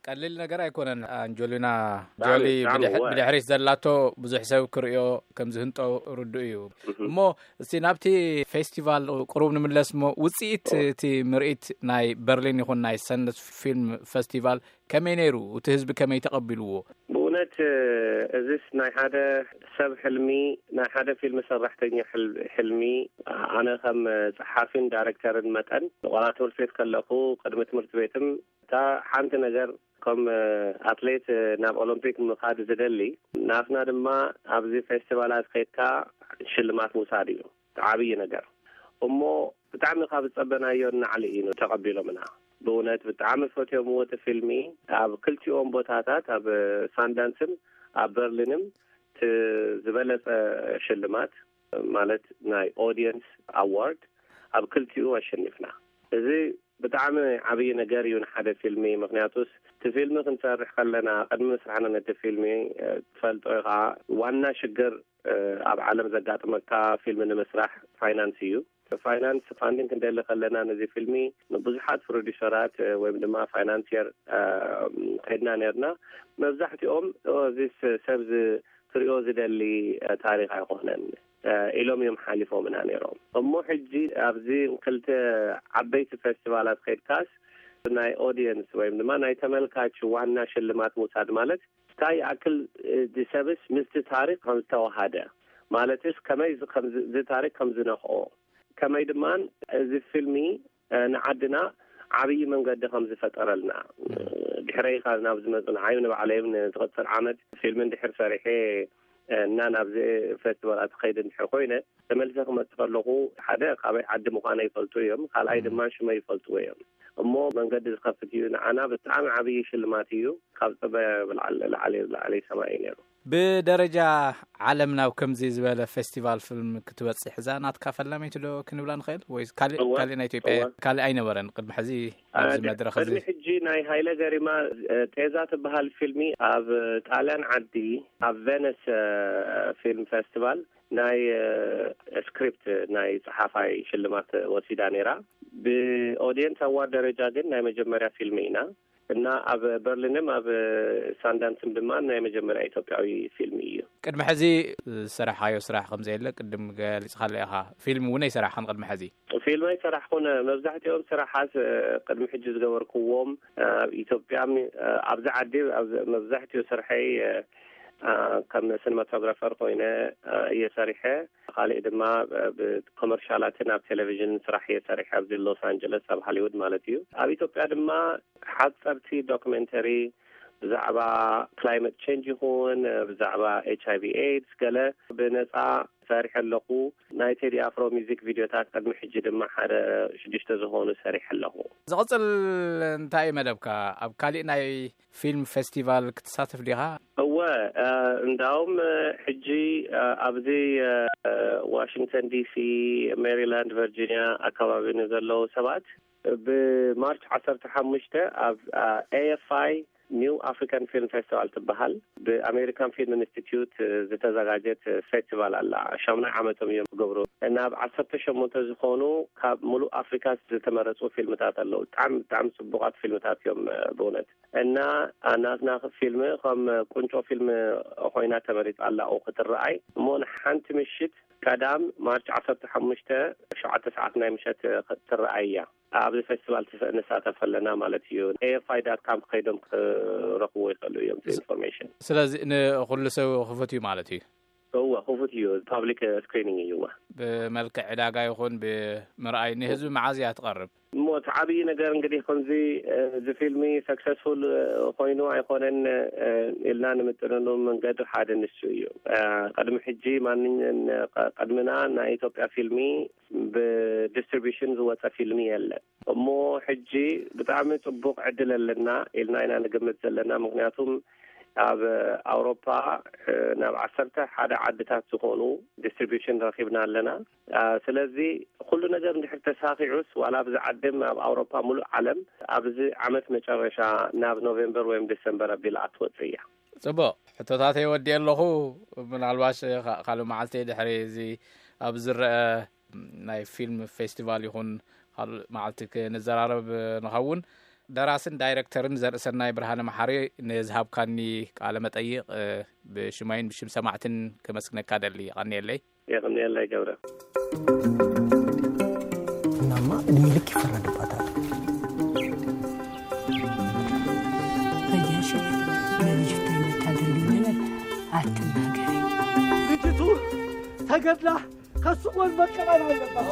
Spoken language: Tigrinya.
ቀሊል ነገር ኣይኮነን። ኣንጀሊና ጆሊ ብድሕሪት ዘላቶ ብዙሕ ሰብ ክርእዮ ከም ዝህንጦ ርዱእ እዩ። እሞ እስቲ ናብቲ ፌስቲቫል ቅሩብ ንምለስ። እሞ ውፅኢት እቲ ምርኢት ናይ በርሊን ይኹን ናይ ሰንደስ ፊልም ፌስቲቫል ከመይ ነይሩ? እቲ ህዝቢ ከመይ ተቐቢልዎ? ብእውነት እዚስ ናይ ሓደ ሰብ ሕልሚ፣ ናይ ሓደ ፊልም ሰራሕተኛ ሕልሚ። ኣነ ከም ፀሓፊን ዳይሬክተርን መጠን ንቆላ ትምህርቲ ቤት ከለኹ ቅድሚ ትምህርቲ ቤትም እታ ሓንቲ ነገር ከም ኣትሌት ናብ ኦሎምፒክ ምኻድ ዝደሊ፣ ናትና ድማ ኣብዚ ፌስቲቫላት ከይድካ ሽልማት ምውሳድ እዩ ዓብዪ ነገር። እሞ ብጣዕሚ ካብ ዝጸበናዮ ንላዕሊ እዩ ተቐቢሎምና። ብእውነት ብጣዕሚ ፈትዮም እቲ ፊልሚ። ኣብ ክልቲኦም ቦታታት፣ ኣብ ሳንዳንስን ኣብ በርሊንን፣ እቲ ዝበለጸ ሽልማት ማለት ናይ ኦዲየንስ ኣዋርድ ኣብ ክልቲኡ ኣሸኒፍና። እዚ ብጣዕሚ ዓብዪ ነገር እዩ ንሓደ ፊልሚ። ምክንያቱስ እቲ ፊልሚ ክንሰርሕ ከለና፣ ቅድሚ ምስራሕና ነቲ ፊልሚ ትፈልጦ ኢኻ፣ ዋና ሽግር ኣብ ዓለም ዘጋጥመካ ፊልሚ ንምስራሕ ፋይናንስ እዩ። ፋይናንስ ፋንዲንግ ክንደሊ ከለና ነዚ ፊልሚ ንብዙሓት ፕሮዲሰራት ወይም ድማ ፋይናንስየር ከይድና ነርና። መብዛሕትኦም እዚ ሰብ ክሪኦ ዝደሊ ታሪኽ ኣይኮነን ኢሎም እዮም ሓሊፎምና ነይሮም። እሞ ሕጂ ኣብዚ ክልተ ዓበይቲ ፌስቲቫላት ከይድካስ ናይ ኦዲየንስ ወይም ድማ ናይ ተመልካች ዋና ሽልማት ምውሳድ ማለት እንታይ ይኣክል እቲ ሰብስ ምስቲ ታሪኽ ከም ዝተዋሃደ፣ ማለትስ ከመይ እዚ ታሪኽ ከም ዝነኽኦ፣ ከመይ ድማ እዚ ፊልሚ ንዓድና ዓብዪ መንገዲ ከም ዝፈጠረልና፣ ድሕረይ ካብ ናብ ዝመፁ ንዓይ ንባዕለይ እውን ንዝቕፅል ዓመት ፊልሚ እንድሕር ሰሪሐ እና ናብዚ ፌስቲቫላት ክኸይድ እንድሕር ኮይነ፣ ተመልሰ ክመፅእ ከለኹ ሓደ ካበይ ዓዲ ምዃነ ይፈልጡ እዮም፣ ካልኣይ ድማ ሽመይ ይፈልጥዎ እዮም። እሞ መንገዲ ዝኸፍት እዩ፣ ንዓና ብጣዕሚ ዓብዪ ሽልማት እዩ። ካብ ፅበ ብላዕሊ ላዕሊ ላዕሊ ሰማይ እዩ ነይሩ። ብደረጃ ዓለም ናብ ከምዚ ዝበለ ፌስቲቫል ፊልም ክትበፅሕ እዛ ናትካ ፈላመይቲ ዶ ክንብላ ንኽእል? ወይ ካልእ ካልእ ናይ ኢትዮጵያ ካልእ ኣይነበረን ቅድሚ ሕዚ ኣብዚ መድረኽ እዚ? ቅድሚ ሕጂ ናይ ሃይለ ገሪማ ጤዛ ትበሃል ፊልሚ ኣብ ጣልያን ዓዲ ኣብ ቬነስ ፊልም ፌስቲቫል ናይ ስክሪፕት ናይ ጸሓፋይ ሽልማት ወሲዳ ነይራ። ብኦዲየንስ ኣዋርድ ደረጃ ግን ናይ መጀመርያ ፊልሚ ኢና። እና ኣብ በርሊንም ኣብ ሳንዳንስም ድማ ናይ መጀመርያ ኢትዮጵያዊ ፊልሚ እዩ። ቅድሚ ሕዚ ዝሰራሕካዮ ስራሕ ከም ዘየለ ቅድም ገሊጽካለ ኢኻ። ፊልም እውን ኣይሰራሕካን ቅድሚ ሕዚ? ፊልም ኣይሰራሕኩን። መብዛሕትኦም ስራሓት ቅድሚ ሕጂ ዝገበርክዎም ኣብ ኢትዮጵያ፣ ኣብዚ ዓዲ መብዛሕትኡ ስርሐይ ከም ሲኒማቶግራፈር ኮይነ እየ ሰሪሐ። ካልእ ድማ ብኮመርሻላትን ኣብ ቴሌቪዥን ስራሕ እየ ሰሪሐ፣ ኣብዚ ሎስ ኣንጀለስ ኣብ ሃሊውድ ማለት እዩ። ኣብ ኢትዮጵያ ድማ ሓፀርቲ ዶክመንተሪ ብዛዕባ ክላይመት ቸንጅ ይኹን ብዛዕባ ኤች ኣይ ቪ ኤድስ ገለ ብነፃ ሰሪሐ ኣለኹ። ናይ ቴዲ ኣፍሮ ሚዚክ ቪድዮታት ቅድሚ ሕጂ ድማ ሓደ ሽዱሽተ ዝኾኑ ሰሪሐ ኣለኹ። ዝቕፅል እንታይ እዩ መደብካ? ኣብ ካሊእ ናይ ፊልም ፌስቲቫል ክትሳተፍ ዲኻ? እወ፣ እንዳውም ሕጂ ኣብዚ ዋሽንግተን ዲሲ፣ ሜሪላንድ፣ ቨርጂኒያ ኣካባቢ ንዘለዉ ሰባት ብማርች ዓሰርተ ሓሙሽተ ኣብ ኤ ኤፍ ኣይ ኒው ኣፍሪካን ፊልም ፌስቲቫል ትበሃል ብኣሜሪካን ፊልም ኢንስቲትዩት ዝተዘጋጀት ፌስቲቫል ኣላ። ሻሙናይ ዓመቶም እዮም ዝገብሩ። ናብ ዓሰርተ ሸሞንተ ዝኾኑ ካብ ሙሉእ ኣፍሪካ ዝተመረፁ ፊልምታት ኣለዉ። ብጣዕሚ ብጣዕሚ ፅቡቓት ፊልምታት እዮም ብእውነት። እና ናትና ፊልም ከም ቁንጮ ፊልም ኮይና ተመሪፃ ኣላ ክትረኣይ። እሞ ንሓንቲ ምሽት ቀዳም ማርች ዓሰርተ ሓሙሽተ ሸውዓተ ሰዓት ናይ ምሸት ክትረኣይ እያ። ኣብዚ ፌስቲቫል ንሳተፍ ኣለና ማለት እዩ። ኤ ኤፍ ኣይ ዳት ካም ከይዶም ክረኽብዎ ይኽእሉ እዮም ኢንፎርሜሽን። ስለዚ ንኹሉ ሰብ ክፉት እዩ ማለት እዩ? እወ፣ ክፉት እዩ። ፓብሊክ ስክሪኒንግ እዩ። እወ። ብመልክዕ ዕዳጋ ይኹን ብምርኣይ ንህዝቢ መዓዝ እያ ትቐርብ? እሞ እቲ ዓብዪ ነገር እንግዲህ ከምዚ እዚ ፊልሚ ሰክሰስፉል ኮይኑ ኣይኮነን ኢልና ንምጥንኑ መንገዲ ሓደ ንሱ እዩ። ቅድሚ ሕጂ ማንኛ ቅድምና ናይ ኢትዮጵያ ፊልሚ ብዲስትሪቢሽን ዝወፀ ፊልሚ የለን። እሞ ሕጂ ብጣዕሚ ፅቡቕ ዕድል ኣለና ኢልና ኢና ንግምት ዘለና። ምክንያቱም ኣብ ኣውሮፓ ናብ ዓሰርተ ሓደ ዓድታት ዝኾኑ ዲስትሪቢሽን ረኺብና ኣለና። ስለዚ ኩሉ ነገር እንድሕር ተሳኺዑስ ዋላ ኣብዚ ዓድም ኣብ ኣውሮፓ ሙሉእ ዓለም ኣብዚ ዓመት መጨረሻ ናብ ኖቬምበር ወይም ዲሰምበር ኣቢላ ክትወፅእ እያ። ፅቡቕ ሕቶታተይ ወዲኤ ኣለኹ። ምናልባሽ ካልእ መዓልቲ ድሕሪ እዚ ኣብ ዝረአ ናይ ፊልም ፌስቲቫል ይኹን ካልእ መዓልቲ ክንዘራረብ ንኸውን። ደራስን ዳይረክተርን ዘርእሰናይ ብርሃነ መሓሪ፣ ንዝሃብካኒ ቃለ መጠይቕ ብሽማይን ብሽም ሰማዕትን ከመስግነካ ደሊ። ይቐንየለይ። የቐንየለይ ገብረ። እናማ እድሜ ልክ ይፈረድባታል። በየሽ ለልጅ መታደል ይበላል። አትናገሪ። ልጅቱ ተገድላ ከሱ ጎን መቀበል አለባት።